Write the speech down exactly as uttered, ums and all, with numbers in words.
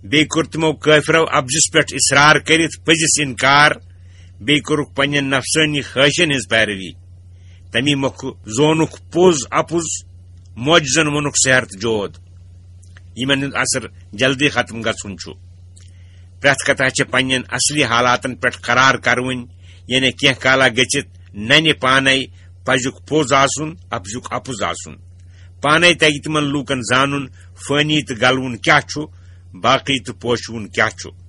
بیٚیہِ کوٚر تِمو کٲفرو اپزِس پٮ۪ٹھ اصرار کٔرِتھ پٔزِس انکار۔ بیٚیہِ کوٚرُکھ پننٮ۪ن نفسٲنی خٲہشن ہٕنٛز پیروی۔ تمی مۄکھٕ زونُکھ پوٚز اپُز، معجزن ووٚنُکھ سحر تہٕ جود۔ یِمن ہُنٛد اثر جلدی ختم گژھُن چھُ۔ پرٛٮ۪تھ کتھا چھےٚ پننٮ۪ن اصلی حالاتن پٮ۪ٹھ قرار کرٕوٕنۍ، یعنی کینٛہہ کالا گٔژھِتھ ننہِ پانے پزیُک پوٚز آسُن، اپزیُک اپُز آسُن۔ پانے تگہِ تِمن لوٗکن زانُن فٲنی تہٕ گلوُن کیٛاہ چھُ، باقی تہٕ پوشوُن کیٛاہ چھُ۔